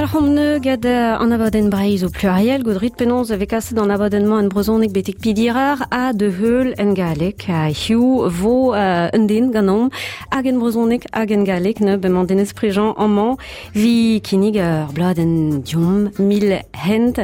Kendalc'homp neu gant an abadenn Breizh o pluriel, goudrit penaos e vez kaset an abadenn-mañ en brezhoneg betek pidirar ha de heul en galleg. Ha hiziv vo un den ganeomp hag en brezhoneg hag en galleg neu bemañ Denez Prigent amañ vi kinnig ur bladenn diomp mil hent.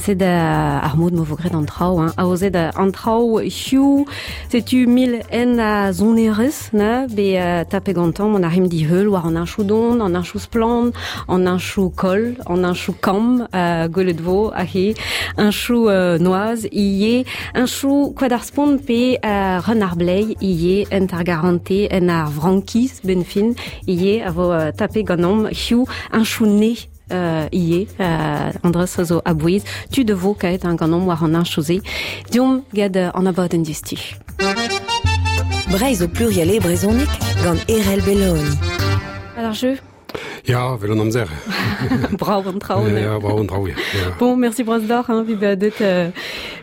Sed ar mod ma vo graet an traoù, hein. Aozet an traoù hiziv. Setu mil hent a sonerezh ne be tapet gantañ mont a rimp diheul war an heñchoù don, an heñchoù splann, an heñchoù koll, an heñchoù kamm, gwelet vo aze, heñchoù noazh ivez, heñchoù koad ar spont pe Run ar Bleiz ivez, hent ar garante, en ar frankiz benn fin ivez a vo tapet ganeomp hiziv heñchoù ne ivez, Andres a zo a-bouez, tud a vo kaet ganeomp war an heñchoù-se. Deomp gant an abadenn diouzhtu. Breizh o pluriel e brezhoneg gant Erell Belloni. Alors jeu Ya, vel an amzer. Brav an traoù. Ya, brav an traoù, ya. Bon, merci bras deoc'h, hein, vi bezañ deut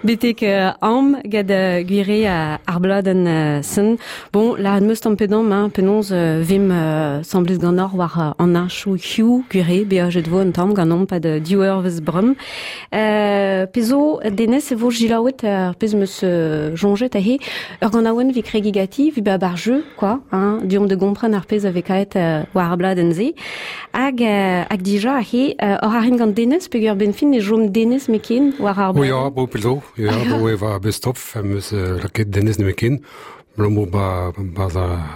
betek am gant gwire ar bladenn sen. Bon, la meus tamm pedamm, hein, penaos vim semblez ganeoc'h war an heñchoù hiziv, gwire, beajet vo un tamm ganeomp pad div eurvezh brem. Pezh zo, Denez, e vo jilaouet ar pezh 'm eus soñjet aze, ur ganaouenn 'vit kregiñ ganti, 'vit bezañ bar jeu, quoi, hein, deomp da gompren ar pezh a vez kaet war ar bladenn-se. Hag, hag dija aze, oc'h arrin gant Denez, peogwir benn fin e chom Denez meken war ar bladenn. Oh ya, bo pell zo, ya, bo e va best of, em eus lakaet Denez nemetken. Abalamour ba, ba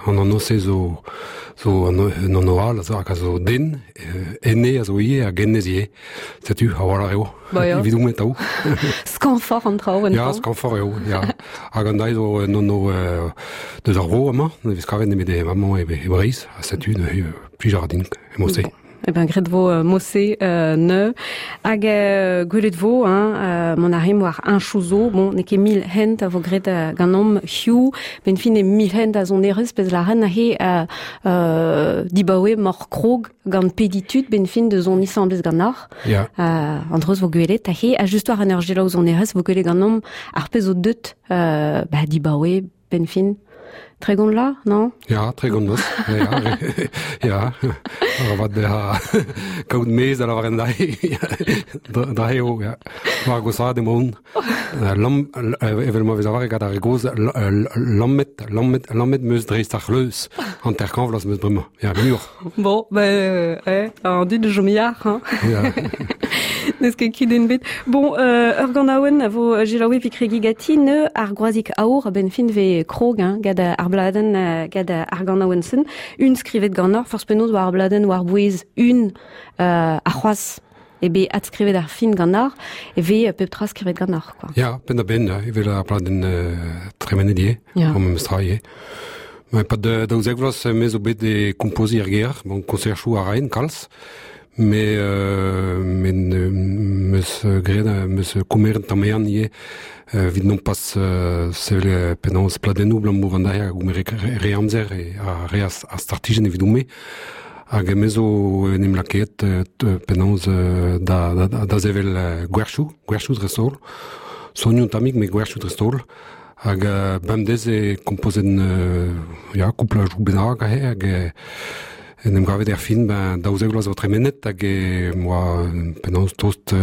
an anv-se zo, zo un anv all hag a zo den, ene a zo ivez hag hennezh ivez. Setu, a-walc'h eo. Ba ya. Evidoun atav. Skañvoc'h an traoù en Ya, skañvoc'h eo, ya. Hag an deiz zo un anv deus ar vro amañ, ne vez kavet nemet amañ e Breizh, ha setu neuze plij a ra din emañ-se. Eh ben, graet vo mosse neu. Hag gwelet vo, hein, mont a rimp war heñchoù zo. Bon, n'eo ket mil hent a vo graet ganeomp hiziv. Benn fin eo mil hent a sonerezh, pezh lâren aze dibaoe m'oc'h krog gant pediñ tud benn fin da soniñ asambles ganeoc'h. Yeah. An dreuz vo gwelet aze. Ha just war an ur selaou sonerezh vo gwelet ganeomp ar pezh zo deut bah, dibaoe benn fin. Tregont la, non Ya, tregont noz. Ya, ya. Arabat bezañ kaout mezh da lavaret dra eo, ya. War gosaat emaon. Lamm, evel ma vez lavaret gant ar re gozh, lammet, lammet, lammet 'meus dreist ar c'hleuz. Hanter-kant vloaz 'meus bremañ. Ya, muioc'h. Bon, ben, eh, an dud a chom yac'h, hein. Ya. N'eus ket kudenn bet. Bon, ur ganaouenn a vo selaouet evit kregiñ ganti neu ar groazig aour a-benn fin vez krog hein, gant ar bladenn gant ar ganaouenn-sen. Un skrivet ganeoc'h, forzh penaos war ar bladenn war-bouez un ar c'hoazh eo bet adskrivet ar fin ganeoc'h, e vez pep tra skrivet ganeoc'h, quoi. Ya, penn-da-benn, evel ar bladenn tremenet ivez, Ya. ar memes tra ivez. Ma pad 12 vloaz me zo bet e kompoziñ er gêr, bon, konserchoù a raen kalz, Me meus graet meus komeret tamm ehan ivez evit nompas sevel penaos pladennoù abalamour an dra a gomere re amzer ha re a startijenn evidon-me. Hag me zo en em lakaet penaos da, da, da sevel gwerchoù, gwerchoù dreist-holl. Sonioù un tammig, met gwerchoù dreist-holl. Hag bemdez e kompozen ya, kouplajoù bennak aze hag en em gavet er fin ben, 12 vloaz zo tremenet hag e moa penaos tost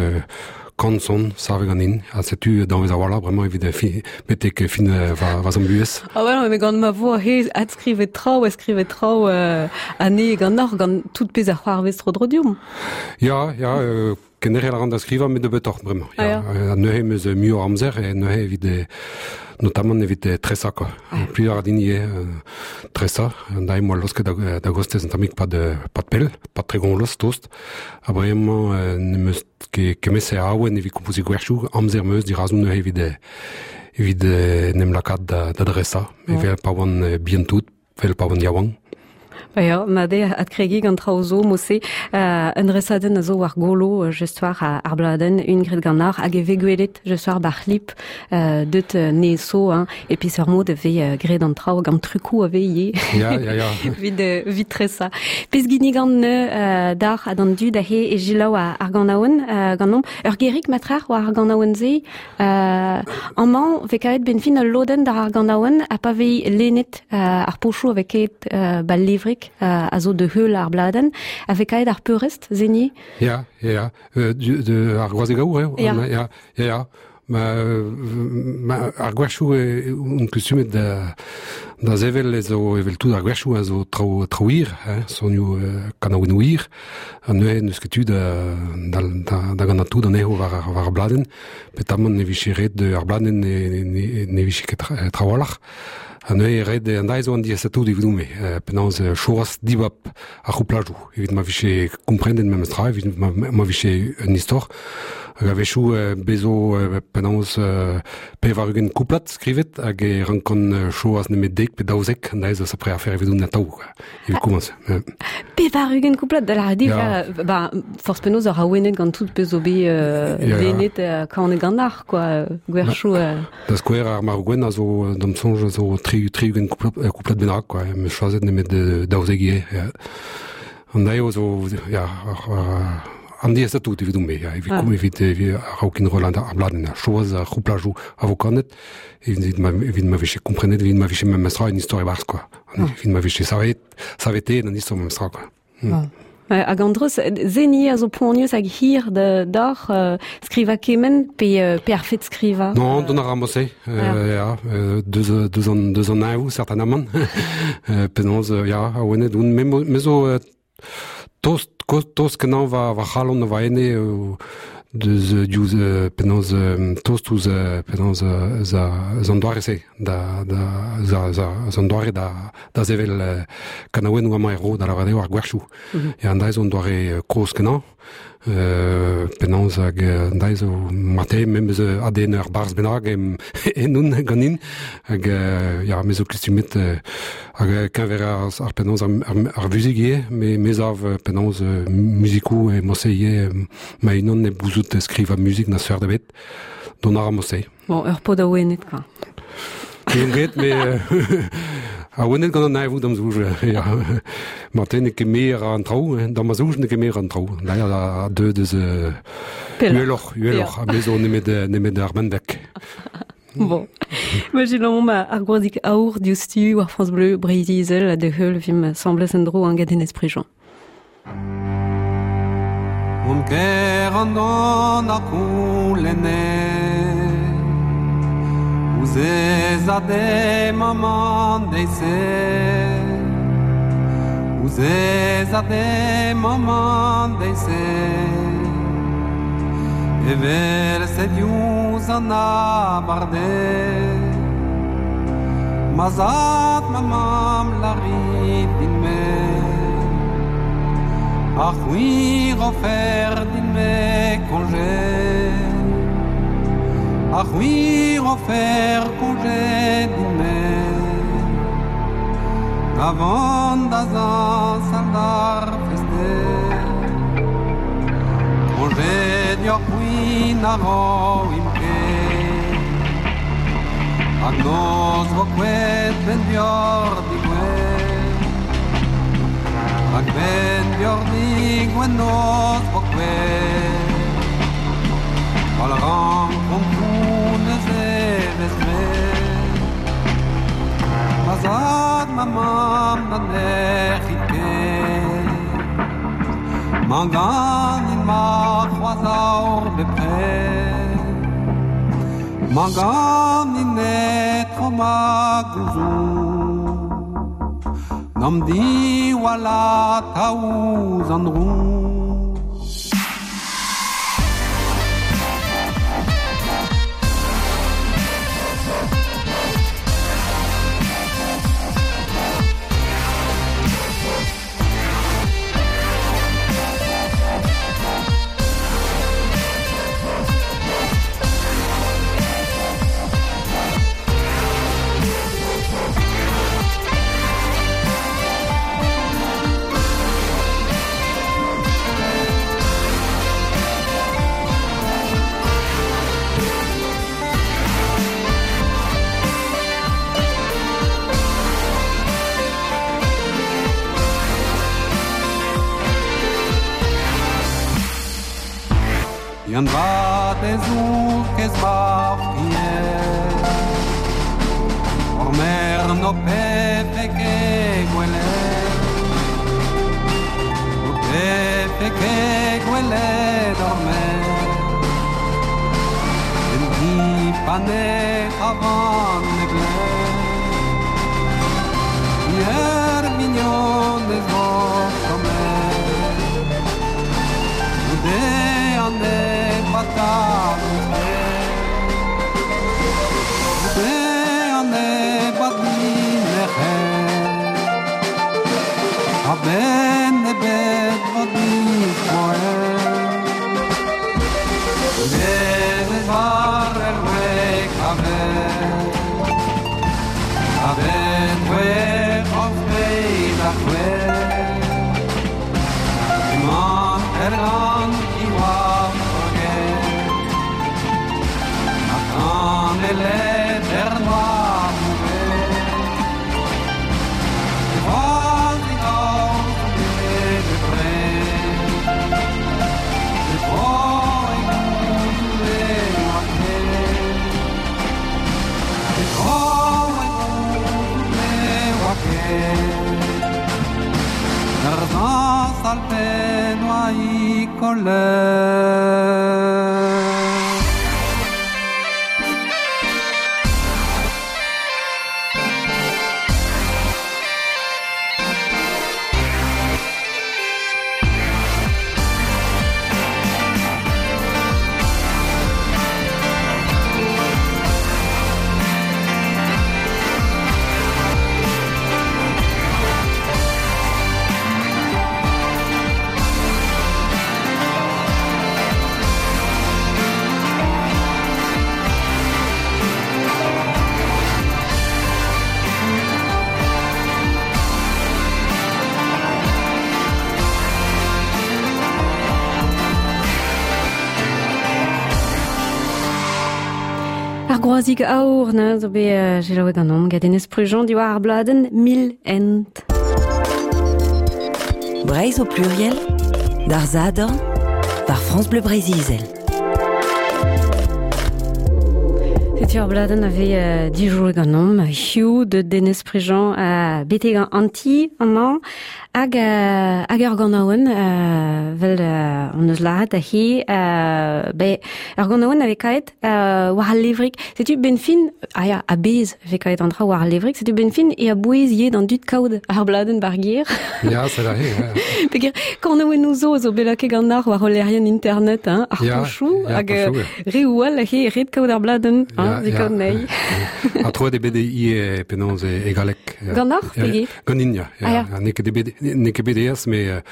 kant son savet ganin ha setu danvez a-walc'h bremañ evit fin, betek fin va, va zamm buhez. Ah ouais, mais gant ma vo he adskrivet traoù, adskrivet traoù anez ganeoc'h gant tout pezh a c'hoarvez tro-dro deomp. Ya, ya, Kenderc'hel a ran da skrivañ met nebeutoc'h bremañ. Ah, ya. Ha neuze em eus muioc'h amzer e neuze evit notamment evit tresañ quoi. Ah. Plij a ra din ivez tresañ. An dae moa laosket da, da gostez un tammig pad, pad pell, pad tregont vloaz tost. Ha bremañ n'em eus ket kemese awen evit kompoziñ gwerchoù. Amzer 'm eus dirazon neuze evit evit en em lakaat da, da dresañ. Evel pa oan bihan tout. Vel pa oan yaouank. Ba ya, mat eo adkregiñ gant traoù zo mod-se. Un dresadenn a zo war golo just war ar bladenn, un graet ganeoc'h, hag e vez gwelet just war bar c'hlip deut nezo, hein, e peseurt mod e vez graet an traoù gant trukoù a vez ivez. Ya, ya, ya. Evit, evit tresañ. Pezh ginnigan deoc'h ha d'an dud aze e selaou ar ganaouenn ganeomp. Ur gerig matrec'h war ar ganaouenn-se Amañ 'vez kavet benn fin ul lodenn d'ar ganaouenn ha pa vez lennet ar pochoù a vez ket 'ba levrig. sonadeck a zo de heul ar bladen, a vez kaet ar peurest, zeni? Ya, ya, de, ar groazeg aour, eo? Ya. Ya, ya, ya. Ma, ma ar gwerchoù on kustumet da, da zevel ez zo evel tout ar gwerchoù a zo traoù traoù hir, hein, sonioù kanaouennoù hir, ha neuze n'eus ket tu da, da, da, da gant tout anezho war, war ar bladenn, petamant ne vije ret ar bladenn ne, ne, ne vije ket trawalc'h. Ha neuze ret an deiz zo an diasatou evidoun-me, penaos choaz dibab ar c'houplajoù, evit ma vije komprendet memes tra, evit ma, ma vije un istor. Hag a-wechoù bezo penaos 80 kouplad skrivet hag e rankan choaz nemet 10 pe 12, an deiz zo sapre afer evidoun atav, evit komañs. 80 kouplad da lâret eo, ba, forzh penaos ur awenet gant tout pezh zo bet lennet kanet gant ar, quoi, gwerchoù. Da skouer, ar marv gwenn a zo, d'am soñj, a zo 60 kouplad bennak, quoi. Em eus choazet nemet 12 ivez. Ya. An daeo zo, ya, an diaes tout evidomp-me, ya, evit, ah. evit, evit a-raok enrollañ ar bladenn, choaz ar c'houplajoù a vo kanet, evit ma, evit ma vije komprenet, evit ma vije memestra un istor e-barzh, quoi. Ah. Evit ma vije savet, saveteet an istor memestra, quoi. Ah. Hag an dreuz, zeni a zo poanius hag hir d'oc'h skrivañ kement pe, pe ar fet skrivañ? Non, dont a ra mosse, ya, deus, deus an, deus an neñvoù, certainement. Penaos, ya, awenet on, me, me zo tost, tost kenañ va, va c'halon, va ene, deus diouzh penaos tost ouzh penaos eus an doare-se da da eus an doare da da sevel kanaouennoù amañ er vro da lavaret eo ar gwerchoù. Ya an dra zo un doare kozh kenañ penaos hag an dra zo marteze memes ADN ur barzh bennak ennon ganin hag ya me zo kustumet hag keñver ar penaos ar vuzik ivez me me sav penaos muzikoù e mosse ivez ma-unan hep gouzout skrivañ muzik na seurt ebet dont a ra mosse. Bon, ur pod awenet, quoi. N'on ket, mais awenet gant an neñvoù d'am soñj. Ya. Marteze n'eo ket me a ra an traoù, hein. D'am soñj n'eo ket me a ra an traoù. D'ailleurs, a deu deus uheloc'h, uheloc'h, ha me zo nemet, nemet ar benveg. Bon. Imaginomp ar gwazik aour diouzhtu war France Bleu Breizh-Izel ha da heul vimp asambles en-dro an gant Enez Prigent. Mont ker an don a c'houlenne Ouzh ez a de maman deiz-se Ouzh ez a de maman deiz-se Evel-se diouzh an abardaez Ma zad, ma mamm, lârit din-me Ha c'hwi rofer din-me koñje Ha c'hwi rofer koñje din-me Da vont da zañsal d'ar fest-deiz Koñje deoc'h-c'hwi na roimp ket Hag noz vo kouezhet 'benn deoc'h digouezh Hag 'benn deoc'h digouezh noz vo kouezhet Gwall rankomp neuze 'vez graet Ma zad, ma mamm na nec'hit ket Mañ ganin ma c'hoazh aour bepred Mañ ganin etro ma gouzoug N'am diwall atav ouzh an droug Yann vat ez out kez va fried Hor mern ho pefe ket gwelet. dormait En di pane avant ne blé Hier mignon des sommet Goude an e patat Goude an e badin A-benn ebet vo dispoet Nevez war er wek a-benn A-benn wech of beit ar c'hwech Emañ er gant ki war forget A kan elet er noa Ur dañs al penn oa i kollet. Ar groazig aour na zo bet selaouet ganeomp gant Denez Prugent diwar ar bladenn Mil Hent. Breizh au pluriel, d'ar Sadorn, par France Bleu Breizh-Izel. Setu ar bladenn a vez dijouet ganeomp Hugh de Denez Prigent betek an ti amañ Hag hag ur ganaouenn 'vel hon eus lâret aze be ur ganaouenn a vez kaet war al levrig. Setu 'benn fin, ah ya, a-bezh e vez kaet an traoù war al levrig, setu 'benn fin e a-bouez ivez d'an dud kaout ar bladenn ba'r gêr. Ya, c'est vrai, ya. Peogwir kanaouennoù zo zo bet lakaet ganeoc'h war hol lec'hienn internet, hein, ar pochoù, hag reoù all aze ret kaout ar bladenn, hein, evit kaout anezhi. Ha troet eo bet ivez penaos e galleg. Ganeoc'h, pe Ganin, ya. Ah, ya. N'eo ket bet, n'eo ket bet aes, met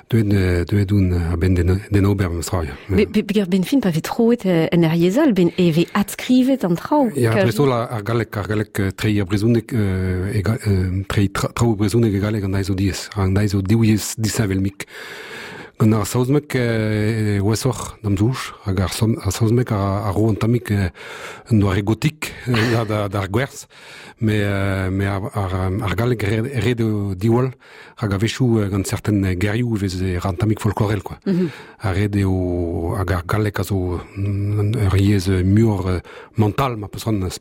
deuet, deuet oun a-benn d'en ober memes tra, ya. Peogwir ben fin pa vez troet en ur yezh all, ben e vez adskrivet an traoù. Ya, dreist-holl ar galleg, ar galleg treiñ ar brezhoneg, treiñ traoù brezhoneg e galleg an deiz zo diaes. An deiz zo div yezh disheñvel-mik. Gant ar saozneg e ouesoc'h d'am soñj, hag ar saozneg a ro un tammig un doare gotik d'ar gwerz. Mais, mais ar, ar, ar galleg ret eo diwall, rak a-wechoù gant certain gerioù e vez ra un tammig folklorel quoi. Ha ret eo hag ar galleg a zo ur yezh muioc'h mental ma peus c'hoant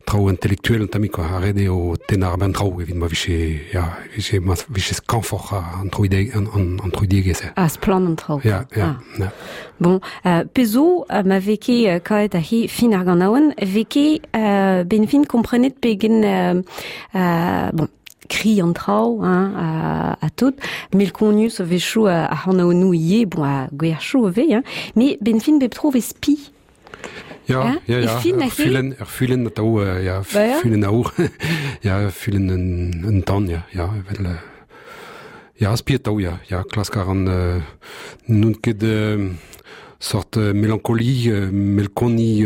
traoù intellectuel un tammig quoi. Ha ret eo tennañ ar benn traoù evit ma vije ya vije ma vije skañvoc'h an troideg an, an, an troidigezh. Ah, splann an traoù. Ya, ya, ah. ya. Bon, pezh zo, ma vez ket kaet aze fin ar ganaouenn, vez ket ben fin komprenet pegen bon, kri an traoù hein, ha tout, melkonius a-wechoù ar c'hanaouennoù ivez, bon, ha gwerchoù a vez, hein, met ben fin bep tro vez spi. Ya, ya, ya, ur fulenn, ur fulenn atav, ya, fulenn aour, ya, fulenn un tan, ya, ya, evel... Ya, spi atav, ya, ya, klask a ran n'on ket sort melankoli, melkoni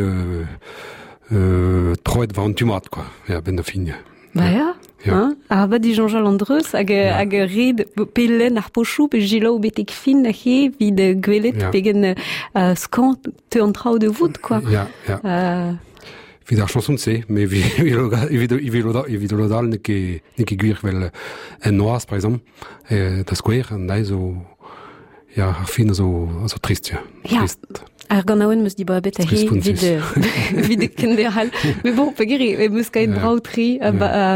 troet war an tu mat, quoi, ya, benn ar fin, ya. Ba ya, hein, arabat disoñjal an dreuz hag hag red pe lenn ar pochoù pe selaou betek fin aze evit gwelet pegen skañv teu an traoù da vout, quoi. Ya, ya. Evit ar chanson-se, mais evit lod all n'eo ket n'eo ket gwir vel en noazh, par exemple, da skouer, an deiz zo ya, ar fin a zo a zo trist, ya. Ya. Trist. Ar ganaouenn 'm eus dibabet aze evit evit kenderc'hel. Met bon, peogwir em eus kaet brav-tre,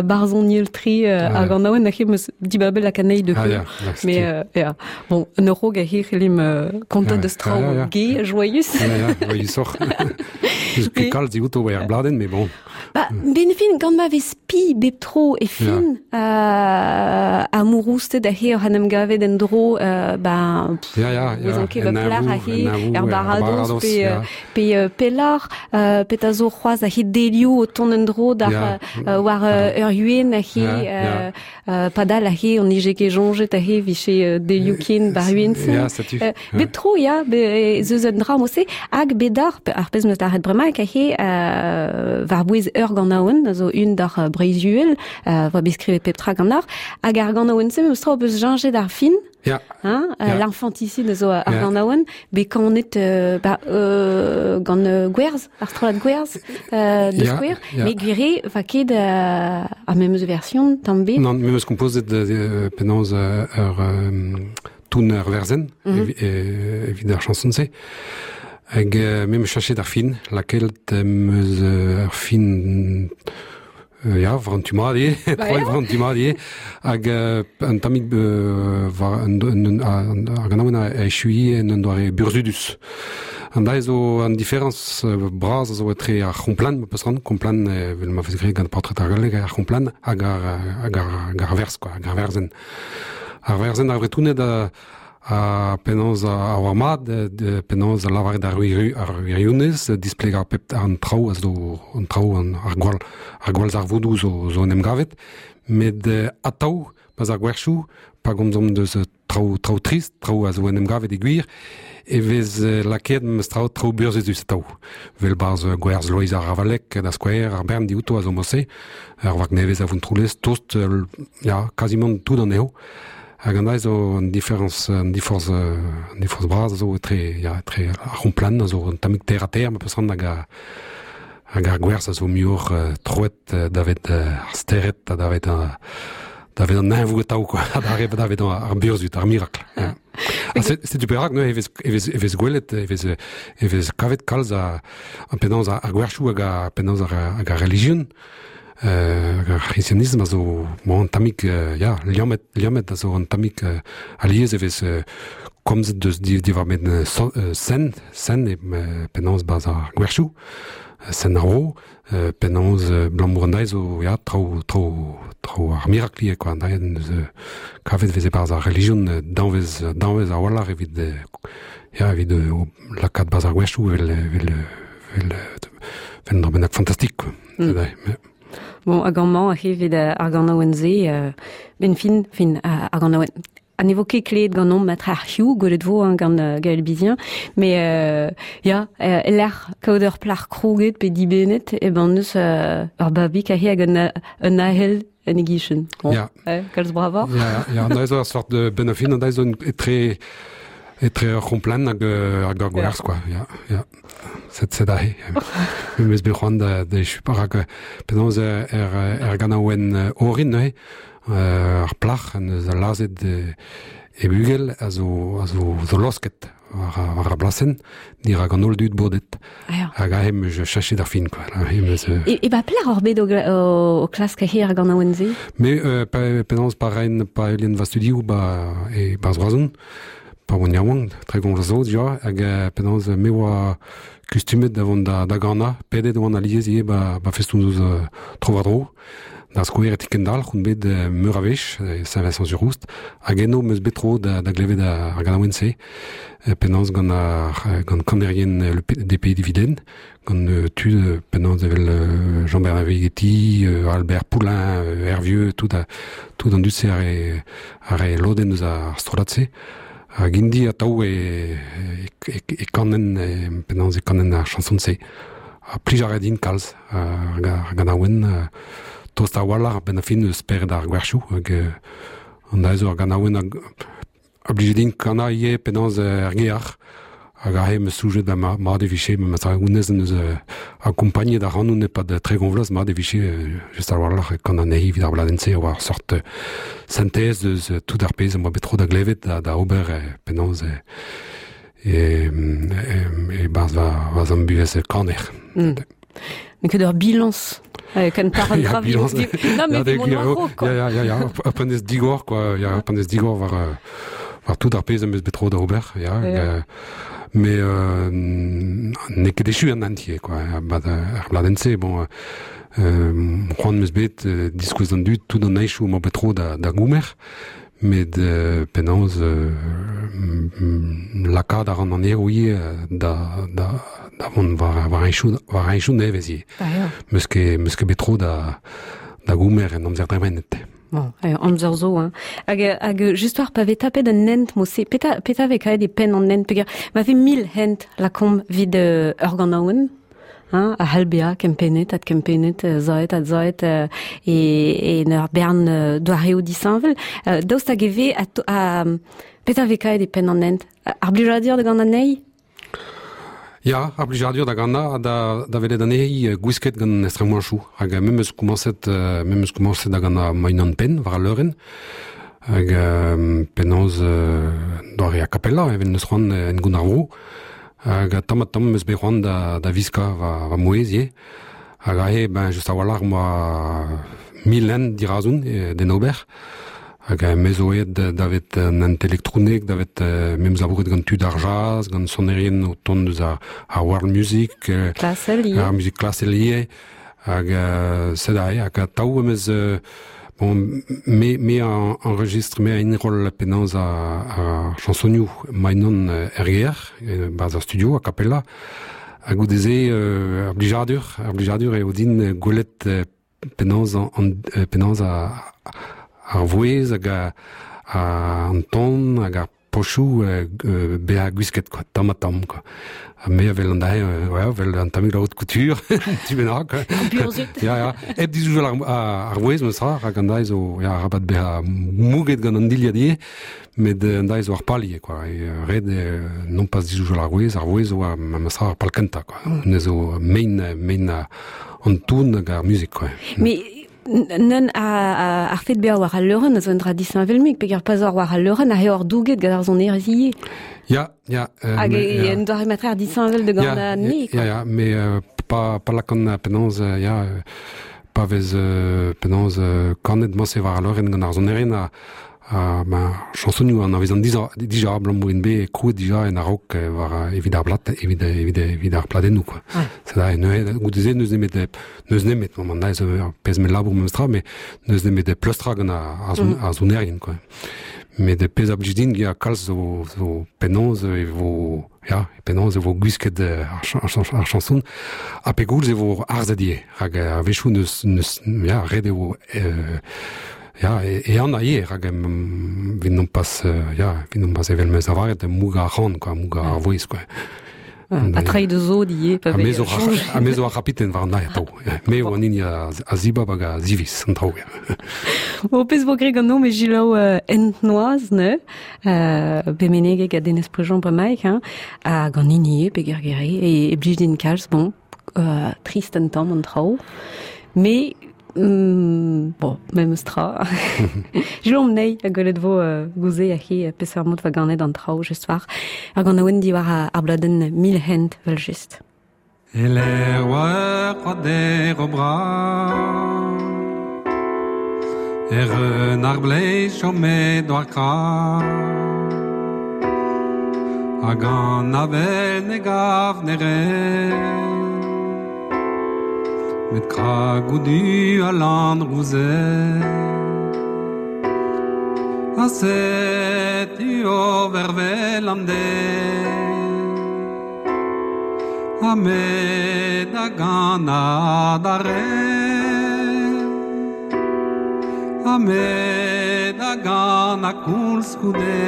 barzhoniel-tre ar ganaouenn aze 'm eus dibabet lakaat anezhi da heul. Mais ya, bon, un raok aze c'hellimp kontañ deus traoù gai, joyous. Joyusoc'h. N'eus ket kalz diouto war ar bladenn, mais bon. Ba, ben fin, gant ma vez spi bep tro e fin amourousted aze oc'h en em gavet en-dro, ben, Ya, ya, ya. Ouzon ket va plac'h aze, er baradoz pe, pe pelloc'h, petra zo c'hoazh aze delioù o tont en-dro d'ar war ur yuen aze, padal aze on nije ket soñjet aze vije delioù ken bar yuen-se. Ya, setu. Bep tro, ya, ez eus un dra mod-se, hag bet d'ar, ar pezh 'm eus lâret bremaik aze, war-bouez ur ganaouenn, a zo un d'ar Breizh-Uhel, voa bet skrivet pep tra ganeoc'h, hag ar ganaouenn-se memes tra ho peus cheñchet ar fin, Ya. Hein, yeah. L'infanticide zo ar ganaouenn, bet kanet ba, gant Gwerz, ar strollad Gwerz, de yeah, skouer, yeah. met gwir eo, va ket ar memes version, tamm bet. Non, memes kompozet penaos ur toun ur werzenn evit ar chanson-se. Hag me 'meus chachet ar fin, lakaet em eus ar fin Ya, war an tu mat eo, troet war an tu mat eo. Hag un tammig war ar ganaouenn a echuiñ en un doare burzhudus. An dra zo an diferañs bras a zo etre ar c'homplan, ma peus ran, komplan evel ma vez graet gant paotred ar galleg, ar c'homplan hag ar, hag ar, hag ar werz, quoi, hag ar werzenn. Ar werzenn ar Vretoned a, Ha penaos a oar mat, penaos a lavaret ar wirionez, displegañ pep an traoù a zo an traoù an, ar gwall ar gwallzarvoudoù zo, zo en em gavet. Met atav, pas ar gwerchoù, pa gomzomp deus traoù traoù trist, traoù a zo en em gavet e gwir, e vez lakaet memes traoù traoù burzhudus atav. Vel 'barzh gwerz Loeiz ar Ravalec, da skouer, ar bern diouto a zo mod-se, ur vag nevez a Vontroulez, tost, ya, kazimant tout anezho. Hag an dra zo an diferañs, an diforzh, an diforzh bras a zo etre, ya, etre ar c'homplan a zo un tammig terre-à-terre ma peus c'hoant hag ar, hag ar gwerzh a zo muioc'h troet davet ar stered ha davet davet an neñvoù atav quoi, davet ar burzhud, ar mirakl. Ja. Ha setu perak neuze e vez, e vez, e vez gwelet, e vez, e vez kavet kalz a, penaos ar gwerchoù hag a, penaos ar, hag ar relijion Ar c'hristianism a zo bon, un tammig ya, liammet, liammet a zo un tammig alies e vez komzet deus diwar-benn sen, sen e penaos 'barzh ar gwerchoù, sen ar vro, penaos abalamour an dra zo ya, traoù, traoù, traoù ar mirakl ivez quoi, an dra neus kavet e veze 'barzh ar relijion danvez, danvez a-walc'h evit ya, evit lakaat 'barzh ar gwerchoù evel, evel, evel, evel un dra bennak fantastik quoi. Bon, hag amañ evit ar ganaouenn-se, ben fin, fin ar ganaouenn. Ha ne vo ket klevet ganeomp matre ar c'hiv, gwelet vo hein, gant Gaël Bizien, mais ya, e-lec'h kaout ur plac'h krouget pe dibennet, e ben neus ur babig aze hag un ahel en e gichen. Bon, Ya. Kalz bravoc'h. Ya, ya, an dra zo ur sort de benn ar fin, an dra zo etre etre ur c'homplan hag hag ur gwerz, quoi. Ya, ya. Set set aze. Me 'meus bet c'hoant da da echu rak penaos er er ganaouenn orin neuze, ar plac'h en deus lazhet e bugel a zo a zo zo losket war war ar blasenn dirak an holl dud bodet. Hag aze 'm eus chachet ar fin quoi. Aze 'm eus E, e ba pelec'h oc'h bet o, o, o klask aze ar ganaouenn-se? Me pa penaos pa raen pa heulian va studioù ba e barzh Roazhon pa oan yaouank, 30 vloaz zo dija, hag penaos me oa kustumet da vont da, da ganañ, pedet oan alies ivez ba, ba festoù-noz tro-war-dro. Da skouer e ti-kendalc'h on bet meur a wech, e Saint-Vincent-sur-Oust, hag eno 'm eus bet tro da, da glevet ar ganaouenn-se, penaos gant ar gant kanerien le des Pays Dividende, gant tud penaos evel Jean-Bernard Vighetti, Albert Poulain, Hervieux, tout, a, tout an dud-se a re, a re lodenn eus ar strollad-se. Hag int-i atav e, e, e, e kanen, e, penaos e kanen ar chanson-se. Ha plij a ra din kalz ar, ar ganaouenn, tost a-walc'h a-benn ar fin eus spered ar gwerchoù hag an dra zo ar ganaouenn a blije din kanañ ivez penaos er gear hag aze 'm eus soñjet ba mat e vije memes tra honnezh en deus akompagnet ac'hanon e-pad 30 vloaz mat e vije just a-walc'h kanañ anezhi evit ar bladenn-se a oa ur sort sentez eus tout ar pezh am boa bet tro da glevet da, da ober penaos. e, e, e barz va, va zam buhez kaner. N'eo ket ur bilañs ken par an dra. Non, mais mon quoi. Ya, ya, ya, ur pennez digor, quoi. Ya, ur pennez digor war, war tout ar pezh am eus bet tro da ober, ya. ya. Mais euh, n'eo ket echu an entier, quoi. Ba, ar bladenn-se, bon, euh, c'hoant am eus bet euh, diskouez d'an dud tout an aichoù am bet tro da, da goumer, met euh, penaos euh, lakaat a ran an eo ivez da, da, da vont war, war aichoù, war aichoù nevez ivez. Ah, ya. Meus ket, meus ket bet tro da, da goumer en amzer dremenet. Bon, amzer zo, hein. Hag, hag just war pa vez tapet un hent mo-se, peta, peta vez kaet e penn an hent, peger ma vez mil hent lakomp vid ur ganaouenn, hein, a c'hall bezañ kempennet, adkempennet, zaet, adzaet, e, e en ur bern doareoù disheñvel. Daoust hag e vez, a, petra vez kaet e penn an hent? Ar blijadur da gant anezhi? Ya, ar blijadur da gannañ ha da, da welet anezhi gwisket gant estremoañchoù. Hag me 'meus komañset, me 'meus komañset da gannañ ma-unan-penn war al leurenn. Hag penaos doare a cappella evel n'eus c'hoant en gont ar vro. Hag tamm-ha-tamm 'meus bet c'hoant da, da viskañ va, va mouezh ivez. Hag aze, ben, just a-walc'h 'moa mil hent dirazon d'en ober. Hag me zo aet davet an hent elektronek, davet memes labouret gant tud ar jazz, gant sonerien o tont eus ar, ar world music, klasel ivez. Ar muzik klasel ivez. Hag sed aze, hag atav em eus bon, me, me a enregistre, me a enroll penaos ar, ar chansonioù ma-unan er gêr, barzh ar studio a cappella. Ha goude-se, ar blijadur, ar blijadur eo din gwelet penaos an, penaos ar vouezh hag an ton hag ar pochoù bezañ gwisket quoi, tamm ha tamm quoi. Ha me a wel an dae, ouais, vel an tammig la haute couture, tu bennak. Ya, ya. Hep dizoujal ar, ar vouezh, meus ra, rak an dae zo, ya, arabat bezañ mouget gant an dilhad ivez, met an dae zo ar pal ivez, quoi. E, ret eo non pas dizoujal ar vouezh, ar vouezh zo memes tra ar pal kentañ, quoi. Ne zo mein, mein an ton hag ar muzik, quoi. Mais neun ar fed bezañ war al leurenn a zo un dra disheñvel-mik, peger pa zor war al leurenn a eo douget gant ar sonerezh ivez. Ya, ya. Hag e un doare matreer disheñvel de gant an ne, quoi. Ya, ya, mais pa, pa lakan penaos, ya, pa vez penaos kanet mañse war al leurenn gant ar sonerien ha Ha ma chañsonioù anavezan dija, dija abalamour int bet krouet dija en a-raok war evit ar blad, evit, evit, evit ar pladennoù quoi. Ouais. C'est neuze goude-se n'eus nemet n'eus nemet bon an zo ur pezh mell labour memestra mais n'eus nemet pleustrañ gant ar, ar, mm. ar sonerien quoi. Met pezh a blij din ya kalz zo, zo penaos e vo ya penaos e vo gwisket ar, ar, ar chanson ha pegoulz e vo arzet ivez rak a-wechoù n'eus n'eus ya ret eo euh, Ya, e an a ivez, rak evit non pas, ya, evit non pas evel 'meus lavaret, mougañ ar ran, quoi, mougañ ar vouezh, quoi. Ha treiñ da zod ivez, pa vez Ha me zo ar c'hapiten war an aer atav. Me eo an hini a zibab hag a ziviz an traoù. Bon, pezh vo graet ganeomp e selaou ent noazh, ne? Bet menegek ha Denez Prejean bremaik, hein? Hag an hini eo, peger gere, e, e blij din kalz, bon, trist un tamm an traoù. Mais Mm, bon, memes tra. Jom nei a gwelet vo uh, gouze a he peseurt mod va ganet an traoù just war. Ar ganaouenn diwar ar bladenn Mil hent vel just. Eler oa c'hoader o bra Er un ar bleiz chomet war kra Hag an avel ne gav ne Met kragoù du ha lann rouzet Ha setu o vervel an deiz Ha me da ganañ adarre Ha me da ganañ koulskoude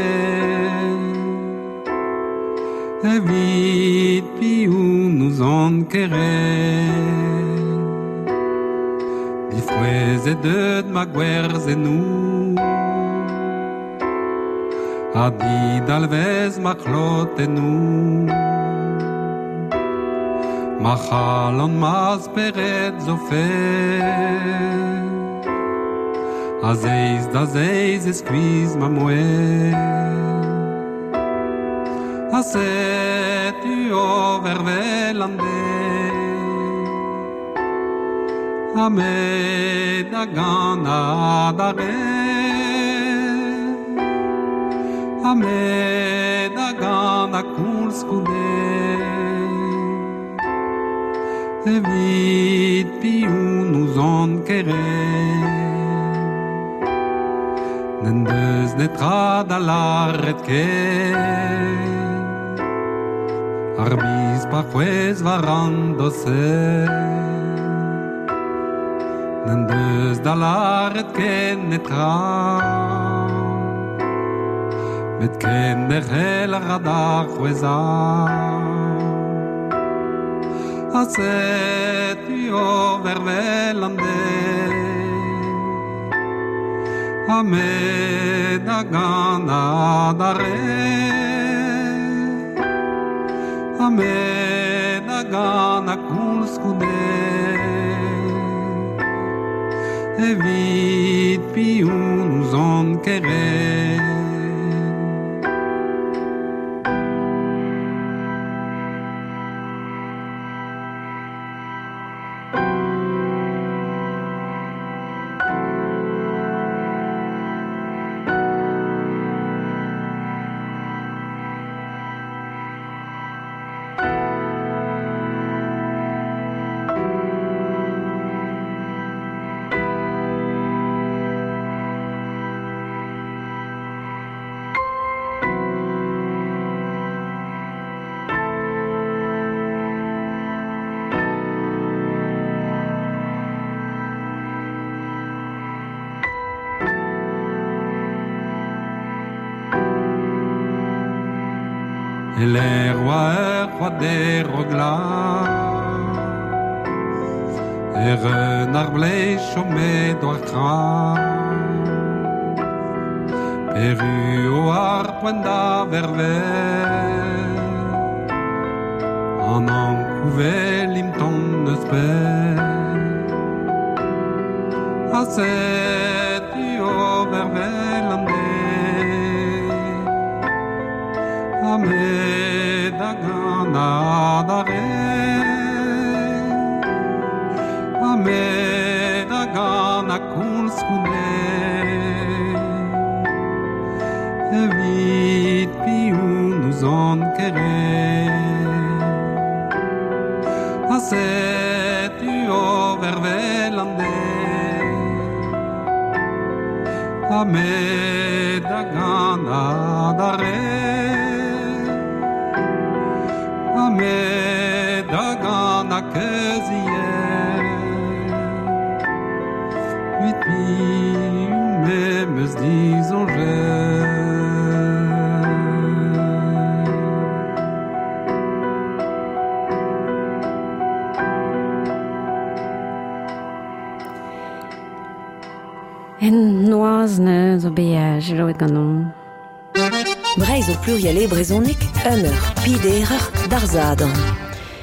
Evit piv n'ouzon ket re Difrouezhet deut ma gwerzennoù Ha didalvez ma c'hlotennoù Ma c'halon ma spered zo faezh A zeiz da zeiz e skuizh ma mouezh. Ha setu o vervel an de Ha me da gant adare Ha me da gant a koulskoude Evit piou nous an kere N'en deus netra da laret ket Ar biz pa c'hwez war an doser N'en deus da laret ken netra Met ken derc'hel a ra da c'hwezhañ Ha setu o vervel an den Ha me da gant adarre Ha me da gant a koulskoude Evit piou n'ouzon ket re E l'air oa ur c'hoad ro glas Er un ar blez chome doar kra Peru o ar poent da vervel An ankouvel imton neus pell Ha setu o vervel an de Ha me da gant adare Ha me da gant a koulskoude Evit piou n'ouzon ket re Ha setu o vervel an den Ha me da gant adarre Ha me da gant a keuzier Huit piou me meus disoñjet En noazh ne zo bet selaouet ganeomp. Breizh o pluriel e brezhoneg, un eur, piderer, d'ar Sadorn.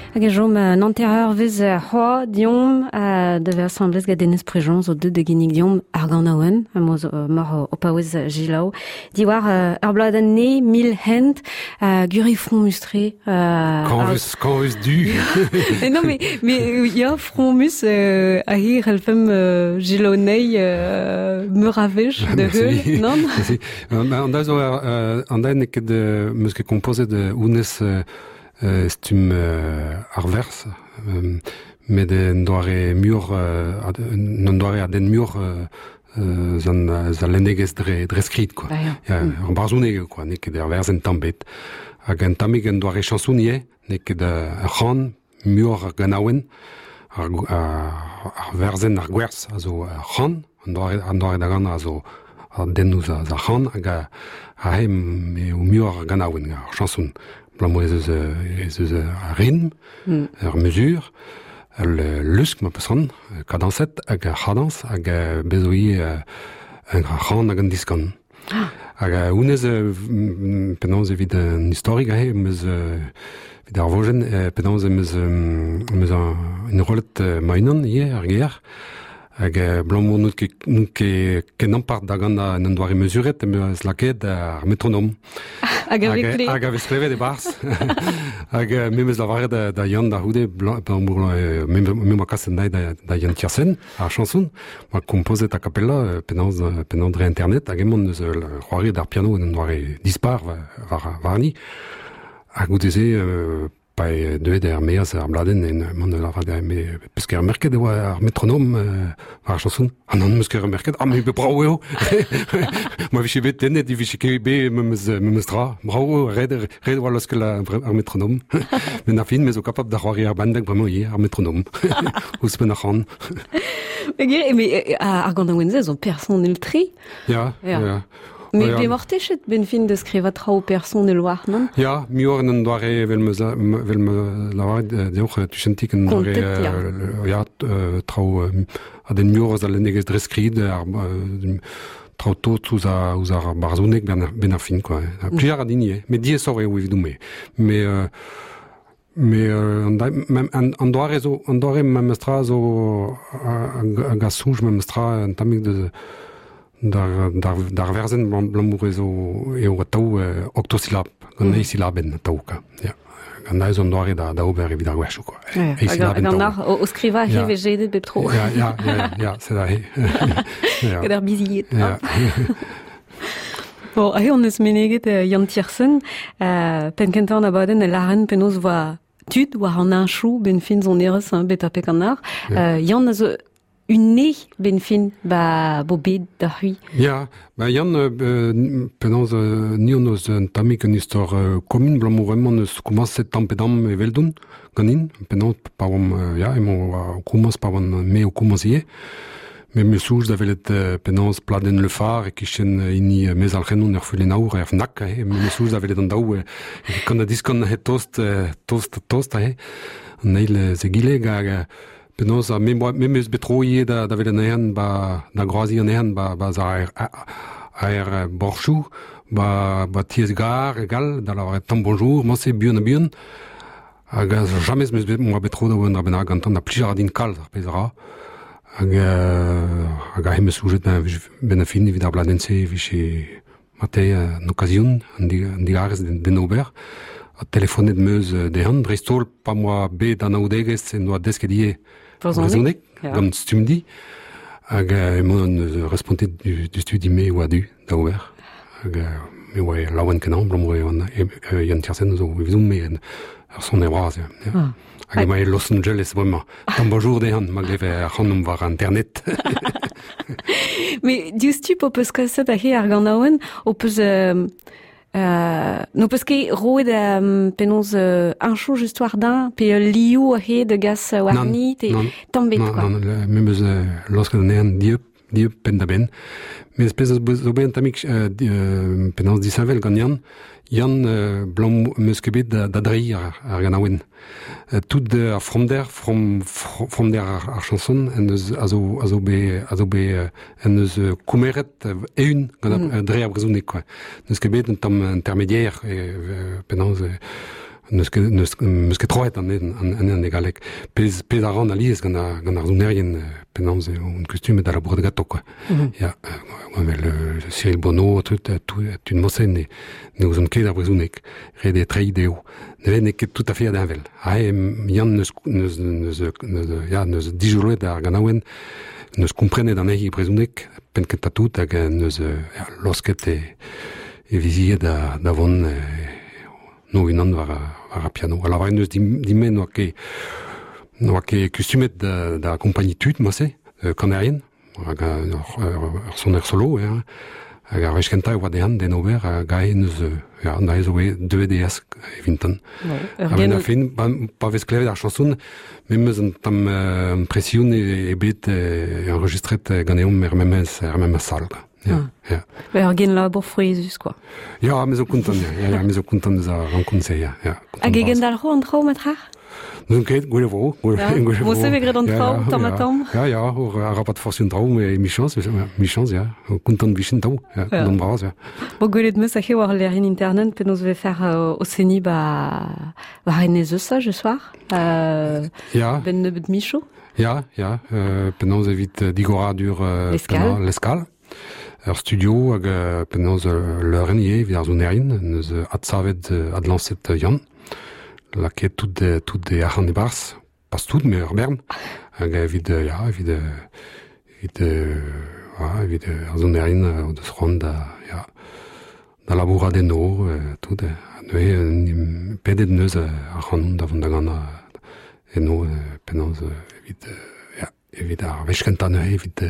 Hag e chom un hanter-eurvezh c'hoazh deomp da vezañ asambles gant Denez Prigent zo deuet da ginnig deomp ar ganaouenn emañ zo mor o paouez selaou diwar ur bladenn ne mil hent guri fromus-tre. Kañvus, kañvus du. Mais non, mais ya, fromus a hir c'hellfemp selaou anezhi meur a wech da heul, non? An da zo an da n'eo ket meus ket kompozet honnezh stumm ar werz, met en doare muioc'h un doare a denn muioc'h zan al lennegezh dre skrid quoi. Ya, ur barzhoneg eo quoi, n'eo ket ur werzenn tamm bet. Hag un tammig un doare chañson ivez, n'eo ket ur c'han, muioc'h ar ganaouenn, ar werzenn, ar gwerz a zo ur c'han, an doare da ganañ a zo ar dennoù eus ar c'han, hag aze eo muioc'h ar ganaouenn, ar chañson. Abalamour ez eus ar ritm, ur mesur, ul lusk ma peus c'hoant, kadañset hag ar c'hadañs, hag bez zo ivez ar c'han hag an diskan. Hag honnezh penaos evit an istorig aze em eus evit ar vojenn penaos em eus enrollet ma-unan ivez ar ger. Hag blamour n'out ket, n'out ket ken ampart da gant en doare mesuret, em eus lakaet ar metronom. Hag a vez klevet. Hag a vez klevet e-barzh. Hag me 'm eus lavaret da, da Yann da c'houde, blamour me, me 'moa kaset anezhi da, da Yann Tiersen, ar chanson, 'moa kompozet a cappella penaos, penaos dre internet, hag emañ eus c'hoariet ar piano en un doare dispar war, warni. Ha goude-se, Pa eo deuet er-maez ar bladenn en mont da lavaret me peus ket remerket e oa ar metronom war ar chanson. Ah non, meus ket remerket. Ah mais brav eo. Ma vije bet tennet e vije ket bet memes memes tra. Brav eo, ret ret oa laoskel ar metronom. Met ar fin, me zo kapabl da c'hoari ar benveg bremañ ivez, ar metronom. Ouzhpenn ar c'han. Mais ar ganaouenn-se zo personel-tre. Ya, ya. Mais pemoc'h techet ben fin da skrivañ traoù personel warnon? Ya, muioc'h en un doare evel ma evel ma lavaret deoc'h tuchentik un doare ya traoù a den muioc'h eus al lennegezh dre skrid ar traoù tot ouzh ar ouzh ar barzhoneg ben ar fin quoi. Plij a ra din ivez, met diaesoc'h eo evidon-me. Mais Mais an doare zo an doare memestra zo hag a soñj memestra un tammig deus d'ar d'ar werzenn abalamour eo eo atav octosyllab gant eizh silabenn atav kwa ya gant aes an doare da da ober evit ar gwerchoù kwa eizh silabenn gant ar o skrivañ he vez jedet bep tro ya ya ya ya c'est vrai gant ar bizied Bon, aze hon eus meneget Yann Tiersen, penn-kentañ an abadenn e lâren penaos 'voa tud war an heñchoù 'benn fin sonerezh hein, bet ha pek an eur. Yann a zo un benn fin ba bo bet da c'hwi. Ya, ba Yann, penaos ni hon eus un tammig un istor komun abalamour emañ eus komañset tamm pe damm eveldon ganin, penaos pa oamp ya, emañ o komañs pa oan me o komañs ivez. Me 'm eus soñj da welet penaos pladenn Le Phare e-kichen hini Mezalc'hennon ur fulenn aour er Fnac. Me 'm eus soñj da welet an daou kan ha diskan tost, tost, tost aze. An eil egile hag penaos me me 'm eus bet tro ivez da, da welet anezhan ba, da groaziñ anezhan ba, ba ar, ar borchoù, ba, ba tiez-gar egal, da lavaret tamm bonjour, mañ-se buan ha buan. Hag james 'meus bet 'moa bet tro da ober un dra bennak gantañ da plij a ra din kalz ar pezh a ra. Hag hag aze 'meus soñjet benn ar fin evit ar bladenn-se e vije marteze an okazion, an digarez d'en ober. Ha telefonet 'm eus dezhan, dreist-holl pa 'moa bet anaoudegezh en doa desket ivez brezhoneg gant Stumdi. Hag emaon respontet du studi me oa du da ober. Hag me oa laouen-kenañ abalamour eo Yann Tiersen zo evidon-me ur soner bras. Ya. Ah. Hag emañ e Los Angeles bremañ. Tamm bonjour dezhan, ma gleve ac'hanomp war internet. Mais diouzhtu p'ho peus kaset aze ar ganaouenn, ho peus n'ho peus ket roet penaos heñchoù just war din pe ul liv aze da gas warni, te tamm bet quoi. Non, non, me 'meus laosket anezhan dieub dieub penn-da-benn. Met pezh zo bet un tammig penaos disheñvel gant Yann. Yann blam 'meus ket bet da, da dreiñ ar, ar ganaouenn. Tout ar fromder, from, fromder ar, ar chanson en deus a zo, a zo bet, a zo bet en deus koumeret eeun gant dre ar brezhoneg quoi. N'eus ket bet un tamm intermédiaire penaos n'eus ket n'eus meus ket troet an an e galleg. Pezh pezh a ran alies gant ar gant ar sonerien penaos eo on kustumet da labourat ganto quoi. Ya, evel Cyril Bonneau, tout tud mosen ne ne ouzont ket ar brezhoneg. Ret eo treiñ dezho. Ne n'eo ket tout à fait heñvel. Ha Yann neus neus neus neus ya neus dijoloet ar ganaouenn, neus komprenet anezhi e brezhoneg penn-kentañ tout hag neus ya, laosket e e vizied da da vont no unan war, war ar piano. A lavaret neus din-me n'oa ket n'oa ket kustumet da, da akompagniñ tud, moa-se, kanerien, hag ur soner solo, hein. Hag ar wech kentañ e oa dezhan d'en ober, hag aze neus, ya, aze zo deuet eas evintan. A-benn ar fin, pa vez klevet ar chanson, me 'meus un tamm impression eo bet enregistret ganeomp er memes, er memes sal, quoi. Ja, ja. Ur genlabour frouezhus, quoi. Ja, me zo kontant, ja, ja, me zo kontant eus ar renkontr-se, ja. ja Hag e gendalc'ho an traoù, matra? N'on ket, gwell e vo. Gwell e vo. se vez graet an traoù, tamm ha tamm. Ja, ja, arabat forzh an traoù, mais michañs, michañs, ja. Kontant vichen taoù, ja, kontant bras, ja. Bo gwelet 'meus aze war lec'hienn internet penaos 'vez faire o seniñ ba war enez Eusa, je soir. Ja. Ben nebeut michoù. Ya, ya, penaos evit digoradur L'Escale. L'Escale. Ur studio hag penaos leurenn ivez evit ar sonerien, neus adsavet, adlañset Yann. Lakaet tout, tout e arc'hant e-barzh, pas tout, mais ur bern. Hag evit, ya, evit, evit, ya, evit ar sonerien o deus c'hoant da, ya, da labourat eno, tout. Ha neuze, pedet neus ac'hanon da vont da ganañ eno, penaos evit, ya, evit ar wech kentañ neuze, evit,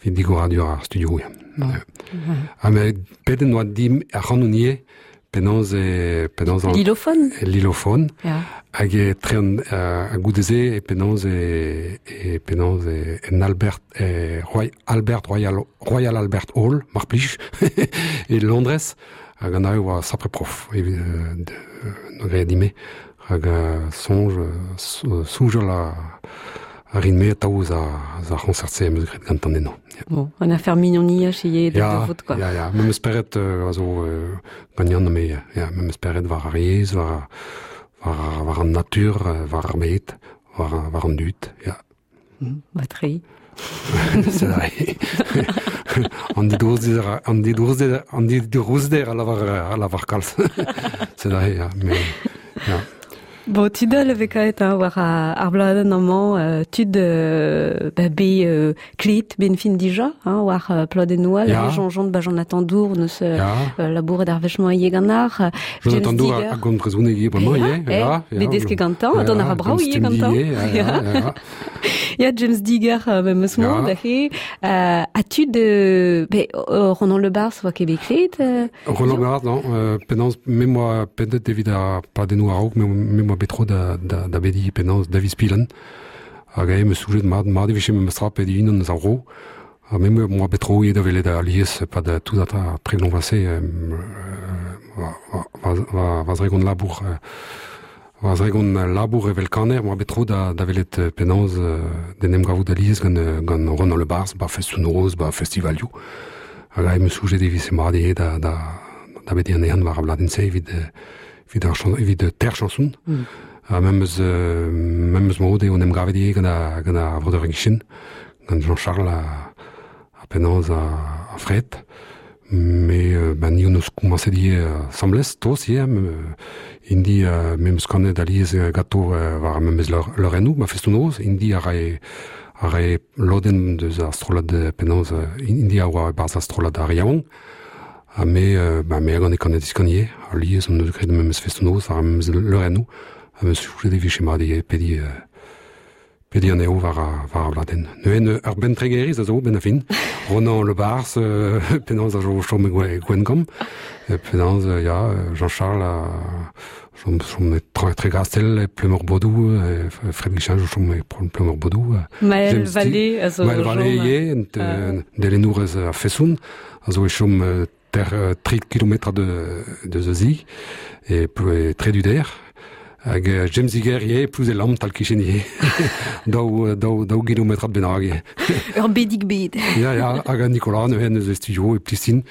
evit digoradur ar studio. Ya. Ha met pedet noa dim ac'hanon ivez, penaos e penaos an Lilofon Lilofon. Ya. Hag e tre an ha goude-se e penaos e e penaos e en Albert e Roy, Albert Royal Royal Albert Hall, mar plij, e Londrez, hag an ae oa sapre prof evit euh, graet dime hag soñj soñjal a a rin-me atav eus ar c'hoñsert-se am eus graet gantan eno. Bon, un affaire mignoniach ivez da vot quoi. Ya, ya, memes spered a zo gant Yann me, ya, memes spered war ar yezh, war, war, war an natur, war ar bed, war, war an dud, ya. Ba tre. C'est vrai. An didrouzder, an didrouzder, an didrouzder a lavar, a lavar kalz. C'est vrai, ya, mais, ya. Bon, tud all a vez kaet hein, war ar bladenn amañ, tud ba, bet klet ben fin dija, hein, war pladennoù all, Ya. yeah. Jean ba Jonathan Dour neus Ya. labouret ar wech-mañ ivez gant ar Jonathan Dour a gont brezhoneg ivez bremañ ivez. Ya, ya, bet deske gantañ, ha dont a ra brav ivez gantañ. Ya, ya, ya. Ya, James Digger memes Ya. mod, aze. Ha tud, bet Ronan Le Bars oa ket bet klet. Roland Barthes, non, penaos, me moa pedet evit ar pladennoù a-raok, me moa bet tro da, da, da bediñ penaos David Spillen. Hag ae me soujet mat, mat e vije memes tra pediñ unan eus ar vro. Ha me moa bet tro ivez da welet alies pad tout ar tregont vloaz-se va, va, va, va zregont labour va zregont labour evel kaner, moa bet tro da, da welet penaos d'en em gavout alies gant, gant Ronan Le Bars, ba festoù-noz, ba festivalioù. Hag ae me soujet e vije mat ivez da, da, da bediñ anezhan war ar bladenn-se evit, evit ar chan, evit ter chanson. Ha memes, memes mod eo en em gavet ivez gant ar, gant ar vreudeur Guichen, gant Jean-Charles ha, ha penaos ha, ha Fred. Mais ben, ni hon eus komañset ivez asambles, toz ivez, indi memes kanet alies ganto war memes leurennoù, ma festoù-noz, indi a rae a rae lodenn deus ar strollad penaos indi a oa e-barzh ar strollad ar yaouank. Ha me, ben, me a gane kanet diskan ivez, alies hon eus graet memes festoù-noz war memes leurennoù, ha meus soñjet e vije mat ivez pediñ pediñ anezho war ar, war ar bladenn. Neuze ur bentregeriz a zo benn ar fin. Ronan Le Bars, penaos a zo chom e Gwengamp, penaos, ya, Jean-Charles a chom, chom e Tregastel, e Pleumeur-Bodou, Fred Guichin zo chom e Pleumeur-Bodou. Maël James Vallée a zo Maël chom, Vallée ivez, delennourez a fesoun, a zo e chom ter, 3 kilometr de, de Zeuzi, e, e Treduder. Hag James Iger ivez, Plouzelam, tal kichen ivez. daou, daou, daou kilometrad bennak ivez. Ur bedig bed. Ya, ya, hag Nicolas neuze eus e studio e Plistin,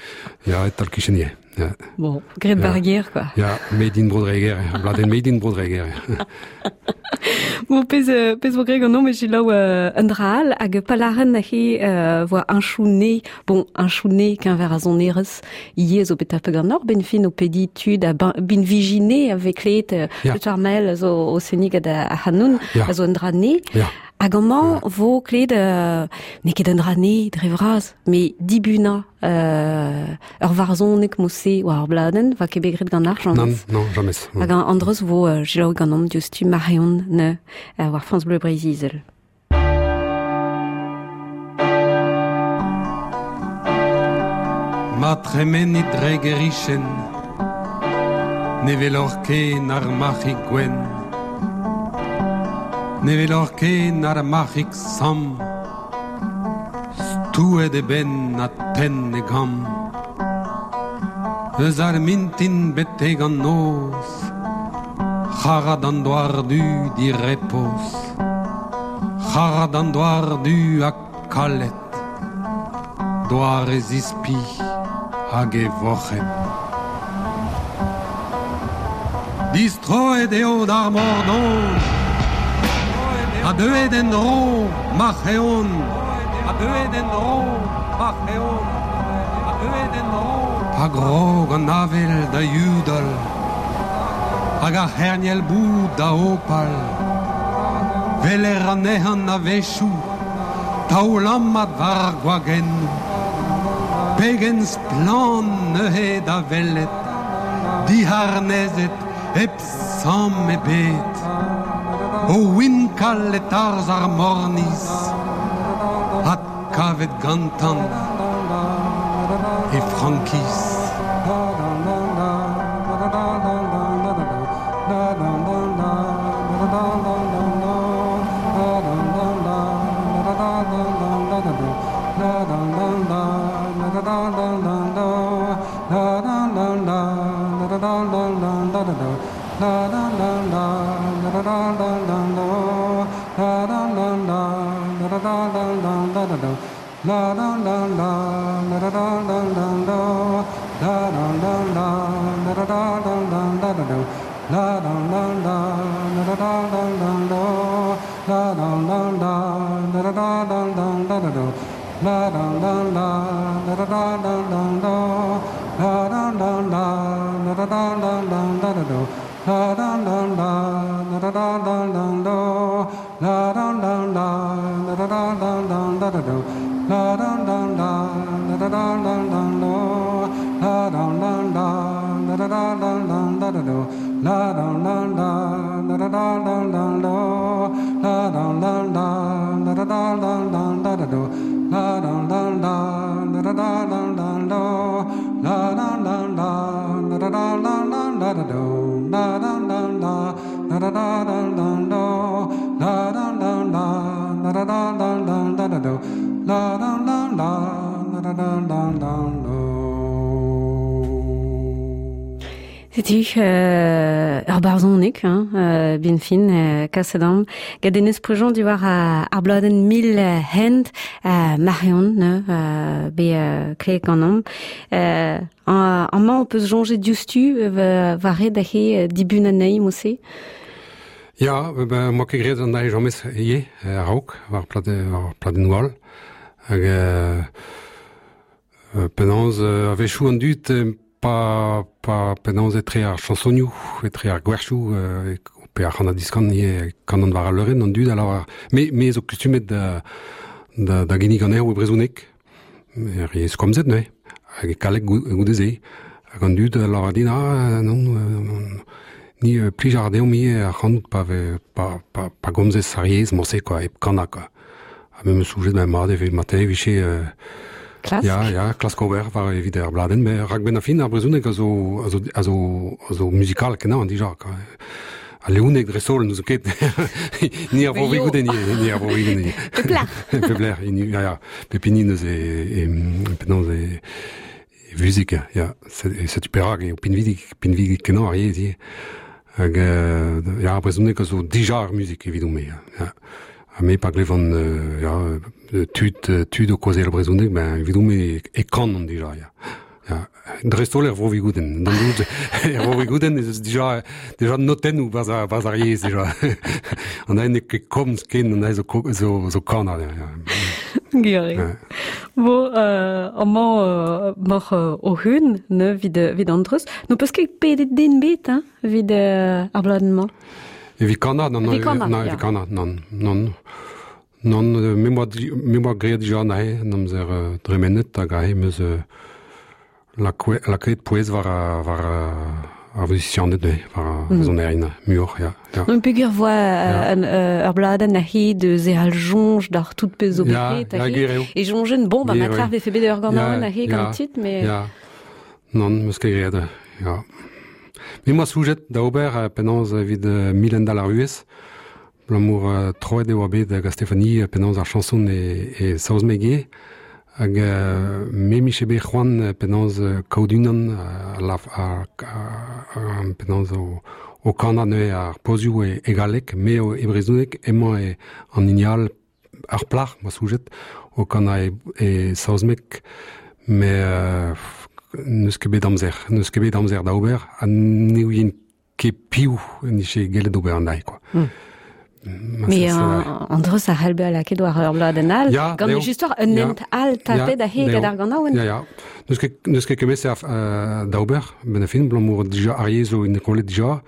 ya, tal kichen ivez. Ya. Bon, graet Ya. bar ger, quoi. Ya, Made in Bro-Dreger, bladenn Made in Bro-Dreger. Bon, pezh, pezh vo graet ganeomp e selaou un dra all, hag palaren aze voa un chou-ne, bon, un chou-ne keñver a sonerezh, ivez zo bet tapet ganeoc'h, ben fin o pediñ tud a bin vijine a vez kleet Ya. Richard Mel a zo o seniñ gant ar c'hanoun, Ya. a zo un dra ne. Ya. Hag amañ vo kleet, n'eo ket un dra ne dre vras, mais dibunañ ur varzhoneg mod-se war ar bladenn, va ket bet graet gant ar Non, james. non, jamais. Hag an andreus vo selaou ganeomp diouzhtu Marion ne war France Bleu Breizh-Izel. Ma tremenit dre gerichen, ne velor ken ar marc'hig gwenn, ne velor ken ar marc'hig samm, stouet e benn ha tenn e gamm. Eus ar mintin betek an noz, c'harad an doar du direpoz, c'harad an doar du ha kalet, doar e zispi hag e voc'hed. Distroet eo d'ar mor don. Ha deuet en-dro ma c'heon Ha deuet en-dro ma c'heon Ha deuet en-dro Pa grog an avel da yudal Hag ar c'herniel boud da hopal Weler anezhan a-wechoù Taolammat war ar gwagennoù Pegen splann neuze da welet Diharnezet hep samm ebet O winkal e-tarzh ar morniz Adkavet gantan e frankiz. Setu ur barzhoneg, hein, ben fin, kaset am. Gant Denez Prigent diwar ar bladenn Mil Hent, Marion, ne, bet klevet ganeomp. Amañ ho peus soñjet diouzhtu war ret aze dibun anezhi mod-se? Ya, ben, 'moa ket graet an dra james ivez, a-raok, war pladennoù all. Hag penaos a-wechoù an dud pa, pa penaos etre ar chañsonioù, etre ar gwerchoù, pe ar c'han-ha-diskan ivez, kanan war al leurenn an dud a lavar me, me zo kustumet da, da, da ginnig anezho e brezhoneg, er yezh komzet neuze, hag e galleg goude-se. Hag an dud a lavar din, ah non, ni plij a ra deomp ivez ac'hanout pa, ve, pa, pa, pa gomzez ar yezh morse quoi, hep kanañ quoi. Ha me 'meus soñjet ben mat e ve marteze e vije Klask. Ya, ya, klask ober war evit ar bladenn, met rak benn ar fin ar brezhoneg a zo, a zo, a zo, a zo muzikal kenañ dija, quoi. Al leouneg dreist-holl n'eus ket. Ni ar vro goude, ni, ni ar vro ni. Pep lec'h. Pep lec'h, ya, ya. Pep hini neus e, e, penaos e, e vuzik, ya. Setu perak eo pinvidik, pinvidik kenañ ar yezh ivez. Hag ya, ar brezhoneg a zo dija ar muzik evidon-me, ya. Ha me pa glevan ya, tud, tud o kaozeal brezhoneg, ben evidon-me e kanan dija, ya. Ya, dreist-holl er Vro-Vigoudenn. D'an dud, er Vro-Vigoudenn ez eus dija, dija notennoù barzh ar, barzh ar yezh dija. An aen n'eo ket komz ken, an aen zo, zo, zo kanañ. Ya. Gwir eo. Bon, amañ moc'h o hun, ne, evit, evit an dreuz. N'ho peus ket pedet den bet, hein, evit ar bladenn-mañ? Evit kanañ, non, Evit kanañ, non, evit kanañ, non, non. Non, me 'moa me 'moa graet dija anezhe en amzer dremenet hag aze 'm eus lakaet pouez war war ar vuzisianed neuze, war ar sonerien muioc'h, ya. ya. Non, peogwir voa ur bladenn a-hed eus e al soñj d'ar tout pezh zo bet graet aze. E soñjen, bon, ba ma vefe bet ur ganaouenn aze gant tit, mais... Ya, non, 'm eus ket graet, ya. Me 'moa soñjet da ober penaos evit milendall ar vuhez, Abalamour troet e oa bet gant Stéphanie penaos ar chañson e, e saozneg ivez. Hag me 'mije bet c'hoant penaos kaout unan penaos o, o kanañ neuze ar pozioù e, e galleg, me e brezhoneg, emañ e, an hini all, ar plac'h, ma soñjet, o kanañ e, e saozneg, met n'eus ket bet amzer, n'eus ket bet amzer da ober, ha ne ouien ket piv en dije gellet ober an dai, quoi. Me an dreus a c'hell bezañ lakaet war ur bladenn all, gant e justor un hent all tapet a-hed gant ar ganaouenn. Ya, ya. N'eus ket, n'eus ket kemese da ober, ben a fin, blamour dija ar yezh zo inkollet dija,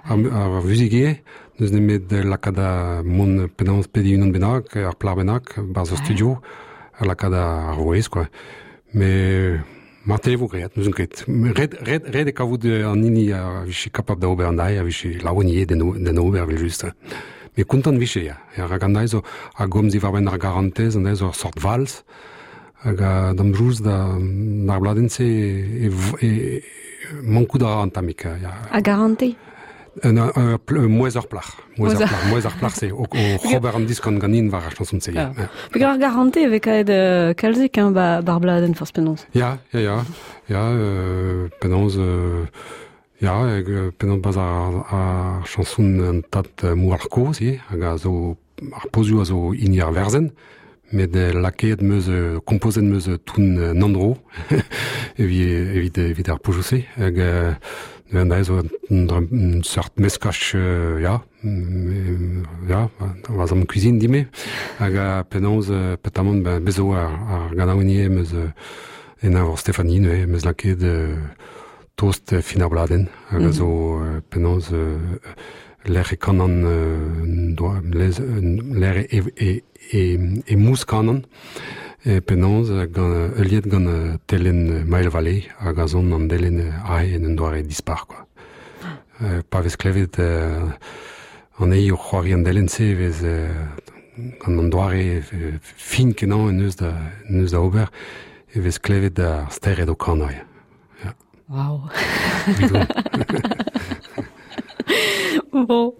ar vuzik ivez, n'eus nemet lakaat da mont penaos pediñ unan bennak, ar plac'h bennak, barzh ur studio, ha lakaat ar vouezh, quoi. Mais Marteze e vo graet, n'ouzon ket. Ret, ret, ret eo kavout an hini a vije kapab da ober an dae, a vije laouen ivez d'en ober evel-just. Met kontant vije, ya. Ya, rak an dae zo a gomz diwar-benn ar garantez, an dae zo ur sort vals. Hag d'am jouz da d'ar bladenn-se e, e, e mankout a ra an tammig. Ya. A garantez? Mouezh ur plac'h. Mouezh ur plac'h, mouezh ur plac'h-se, o, o ober an diskan ganin war ar chanson-se. Ja. Peogwir ar garantez e vez kaet kalzik hein, ba, bar bladenn forzh penaos. Ya, ya, ya. Ya, penaos... ya, penaos bas ar, ar chanson an tad Moualc'h kozh ivez, hag a zo ar pozioù a zo hini ar werzenn, met lakaet 'm eus, kompozet 'm eus toun Nandro evit, evit, evit ar pozioù-se. Hag neuze zo un seurt meskaj, ya, ya, va zamm cuisine dime. Hag penaos, petamant, ben, bez zo ar, ar ganaouenn ivez 'm eus en eñvor Stéphanie neuze, 'm eus lakaet tost fin ar bladenn hag a zo penaos lec'h e kanan lec'h e, e, e mous kanan e penaos gant heuliet gant telenn Maël Vallée hag a zon an delenn aze en un doare dispar quoi. Pa vez klevet anezhi o c'hoari an delenn-se e vez gant an doare fin kenañ en deus da, en deus da ober e vez klevet ar stered o kanañ. Ja. Wow. Bon,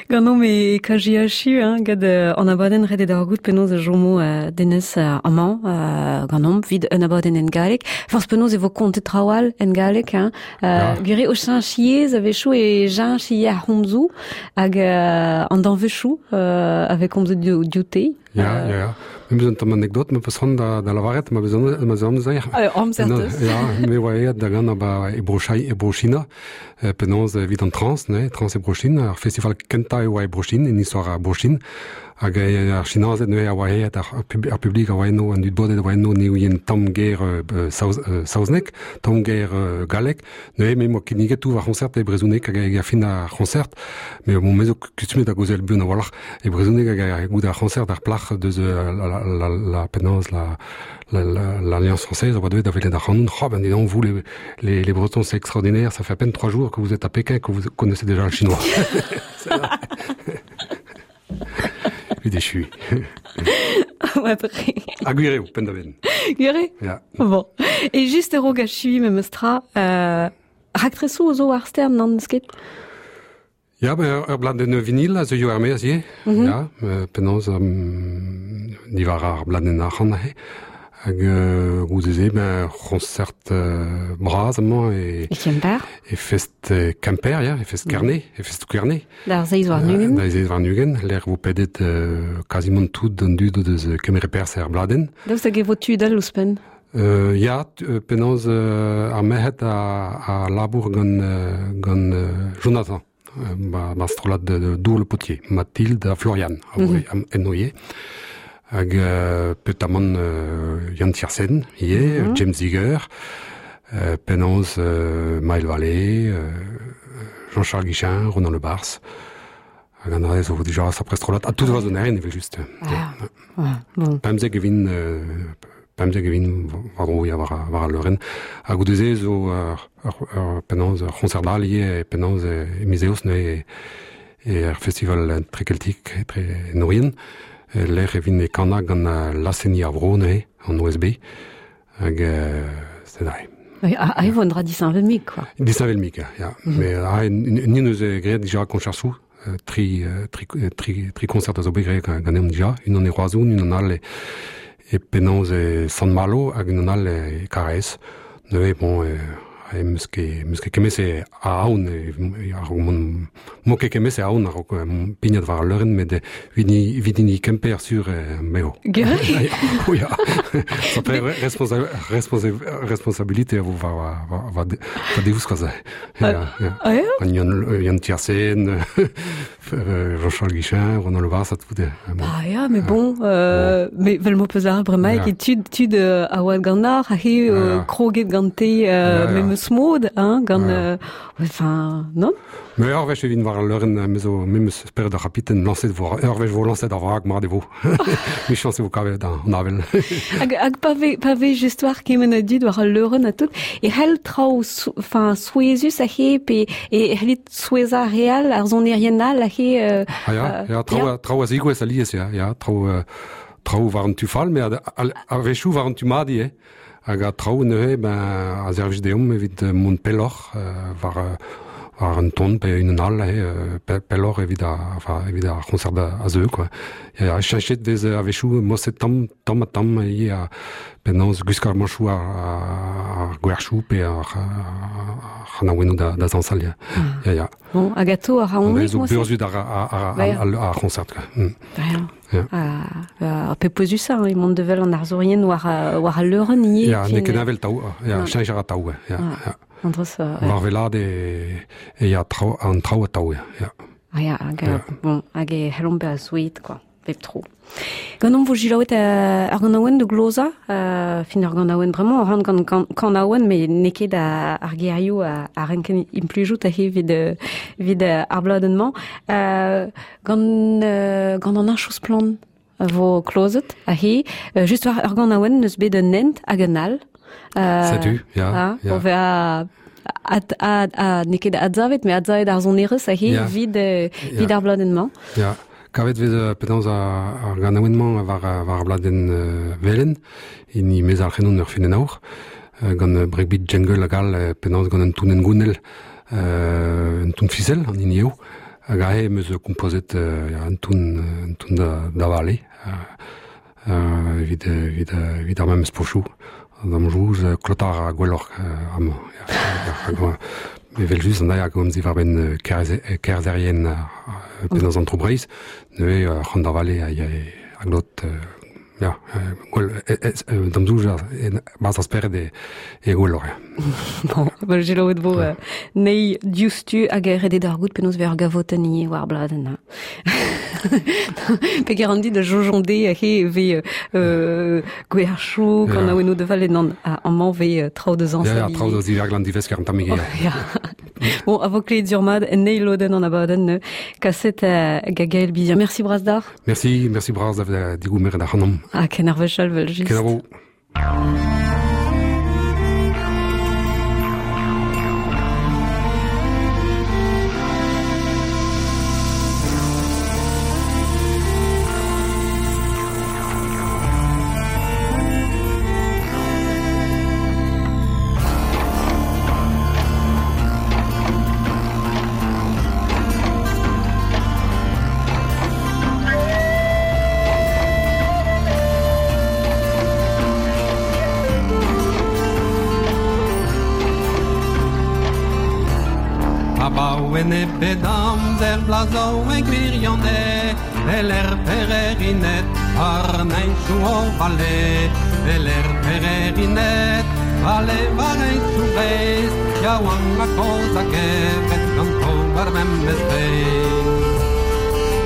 ganeomp e kajiachu hein, gant an abadenn ret eo d'ar goût penaos e chomo Denez amañ ganeomp evit un abadenn en galleg. Forzh penaos e vo kontet traoù all en galleg. Hein. Gwir eo o cheñch yezh a-wechoù e cheñch ivez ar c'homzoù hag an danvezioù a vez komzet dioute. Ya, ya, ya. Me 'meus un tamm anekdot ma peus c'hoant da, da lavaret, ma beus ma 'z amzer. Amzer teus. Ya, me oa aet da ganañ ba e Bro-Chai, e Bro-China, penaos evit an trans, ne, trans e Bro-Chine, ar festival kentañ e oa e Bro-Chine, en istor ar Bro-Chine, hag ar Chinazed neuze a oa aet, ar, ar publik a oa eno, an dud bodet a oa eno, ne ouient tamm ger saoz, saozneg, tamm ger galleg, Neuze me 'moa kinniget tout va c'hoñsert e brezhoneg hag hag ar fin ar c'hoñsert. Mais bon, me zo kustumet da gaozeal buan a-walc'h e brezhoneg hag goude ar c'hoñsert ar plac'h deus la, la, la, la penaos la l'Alliance française a oa deuet da welet ac'hanon. Oh ben dis donc, vous les, les, les Bretons, c'est extraordinaire, ça fait à peine 3 jours que vous êtes à Pékin que vous connaissez déjà le chinois. Evit echuiñ. Après. Ha gwir eo, penn-da-benn. Gwir eo? Ya. Bon. E just a-raok achuiñ memes tra, raktresoù zo ar stern, nann, eus ket? Ya, ben, ur bladenn vinil a zeuio er-maez ivez. Ya, penaos diwar ar bladenn arc'hant aze. Hag goude-se, ben, c'honcert bras amañ e... E Kemper? E fest Kemper, ya, e fest Kerne, e fest Kerne. D'ar seizh warn-ugent. D'ar seizh warn-ugent, lec'h vo pedet kazimant tout an dud o deus kemeret perzh er bladenn. Daoust hag e vo tud all ouzhpenn? Ya, penaos ar merc'hed a labour gant, gant Jonathan, ba strollad de Dour le Potier, Mathilde ha Florian, a voe enno ivez. Hag petamant Yann Tiersen ivez, James Ziger, penaos Maël Vallée, Jean-Charles Guichin, Ronan Le Bars. Hag an dra-se zo dija sapre strollad. Ha tout va zonerien evel-just. Ah, ah, bon. Pemzek e vin, 15 e vin war-dro ya war, war al leurenn. Ha goude-se zo ur, ur, ur penaos ur c'hoñsert all ivez penaos e miz Eost neuze e er festival Trekeltik etre en Orient lec'h e vin e kanañ gant laz-seniñ ar vro neuze, an OSB. Hag c'est vrai. Ah, e vo un dra disheñvel-mik, quoi. Disheñvel-mik, ya. Mais ah, ni neus graet dija koñchersoù, tri, tri, tri, tri concert a zo bet graet ganeomp dija, unan e Roazhon, unan all e, e penaos e Sant-Malo hag unan all e Karaez. Neuze, bon, meus ket kemese a aon, ar mo ket kemese a aon ar pignat war al leurenn, met evit ni kemper sur meo. Gere? O ya. Ça fait responsabilité vo war deus koz. Ya, ya. An Yann Tiersen, Jean-Charles Guichin, Ronan Le Bars, tout. Ah ya, mais bon, mais vel mo peus ar bremaik, e tud a oad gant ar, a he kroget gante memes mod, hein, gant... Enfin, non? Mais ur wech evit war al leurenn, me zo memes spered ar c'hapiten lañset vo, ur wech vo lañset ar vrak mar de vo. Mi chance vo kavet an avel. Hag pa ve just war kement a dud war al leurenn a tout, e c'hell traoù enfin, souezus a he, pe e c'hellit soueza real, ar sonerien all a he... Ah ya, ya, traoù a zigouez alies, ya, ya, traoù war an tu fall, mais a wechoù war an tu madi, eh. Hag a traoù neuze, ben, a servij deomp evit mont pelloc'h war un ton pe un all, pelloc'h evit ar concert a zeu, quoi. Ya, cheñchet vez a wechoù moset tamm a tamm e a penaos gwiskar manchoù ar gwerchoù pe ar c'hanaouennoù da zañsal, ya. Ya, ya. Bon, hag ato ar raonik, moset? Zo burzhud ar concert, quoi. Ya. Ar pe pouezus hein, e mont devel an arzourien war al leurenn ivez. Ya, n'eo ket avel taou, ya, cheñch a ra taou, ya. Andros, war velad e ya an traoù a taou, ya. Ah ya, hag, bon, hag e c'hellomp bezañ souezhet, quoi, bep tro. Gant omp vo jilaouet ar ganaouenn de gloza, fin ar ganaouenn bremañ, ar ran gant kanaouenn, met n'eo ket ar gerioù a renken implijout a he evit ar bladenn-mañ. Gant an archoù splann vo klozet a he, just war ar ganaouenn neus bet un hent hag un all. Setu, ya. O vezañ n'eo ket adsavet, met adsavet ar sonerezh a he evit ar bladenn-mañ. Ya. Kavet vez penaos ar ganaouenn-mañ war ar bladenn velen, hini mez ar c'henon ur fin en aour, gant breakbeat jungle hag all, penaos gant un toun engounel, un toun fisel, an hini eo, hag ahe meus kompozet un toun da vale, evit ar memes pochoù. D'am jouz klotar a gwelloc'h amañ. Evel just an daia gomz war ben kerzerien penaos an tro Breizh, neuze c'hant da vale a glot ya, gwell d'am zouj barzh ar spered e gwelloc'h. Bon, bel jilaouet vo nei diouzhtu hag redet ar gout penaos ver gavotenn ivez war bladenn. Pe an dit da jojonde he ve gwerchoù kanaouennoù de vale nan amañ ve traoù de zañs. Ya, traoù da ziverglan divesker an tammig. Ya. Bon, a vo kleet durmad en eil lodenn an abadenn kaset Gaël Bizien. Merci bras d'ar. Merci bras da digoumer da c'hanomp. Ah, ken ar wechal vel just. Kenavo. Bedamzer blazo e gwirionez, el er pererinet, ar neinchou o vale, el er pererinet, vale war einchou breiz, yaouank a koz a gevet ganto war memez beiz.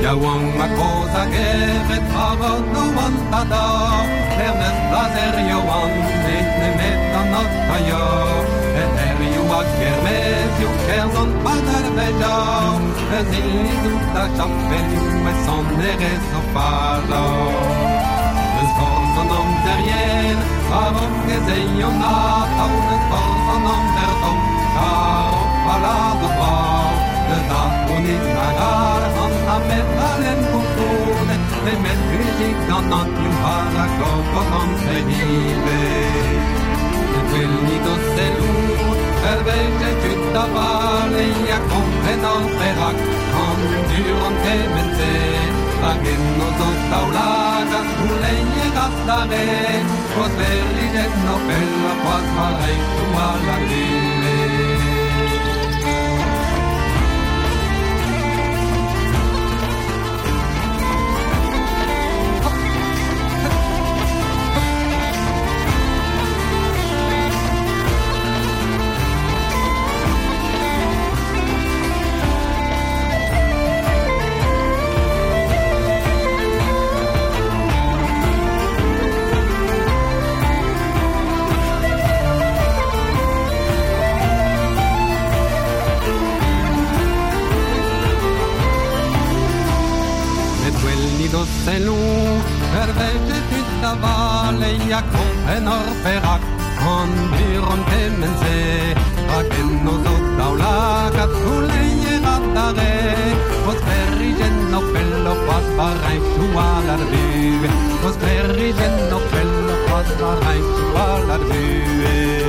Yaouank a koz a gevet war an oan tada, ernez blazer yaouan, et nemet an ot a yo. A kermezioù kerzan padal veja, eus ilizoù da chapelioù e sonerezh o faja. Eus forz an amzer yen, a-raok ez eion atav, eus forz an amzer tomm, kar o palad o brav. Eus ar gounid nag ar an amet alen koulskoude, nemet muzik gant an ioù har a gogod an ivez. Evel o selloù, El veje tud da vale a kompren an perak, an dur an kement-se, hag enno zo daoulagad gouleier adare, koz verrijen o pell a c'hoaz war reichou al a lile. da vale ya kompren ur perak an buron kement-se Rak en o zo daoulagad gouleier adarre O sklêrijenn o pello c'hoazh war reñchoù all ar vuhez O sklêrijenn o pello c'hoazh war reñchoù all ar vuhez.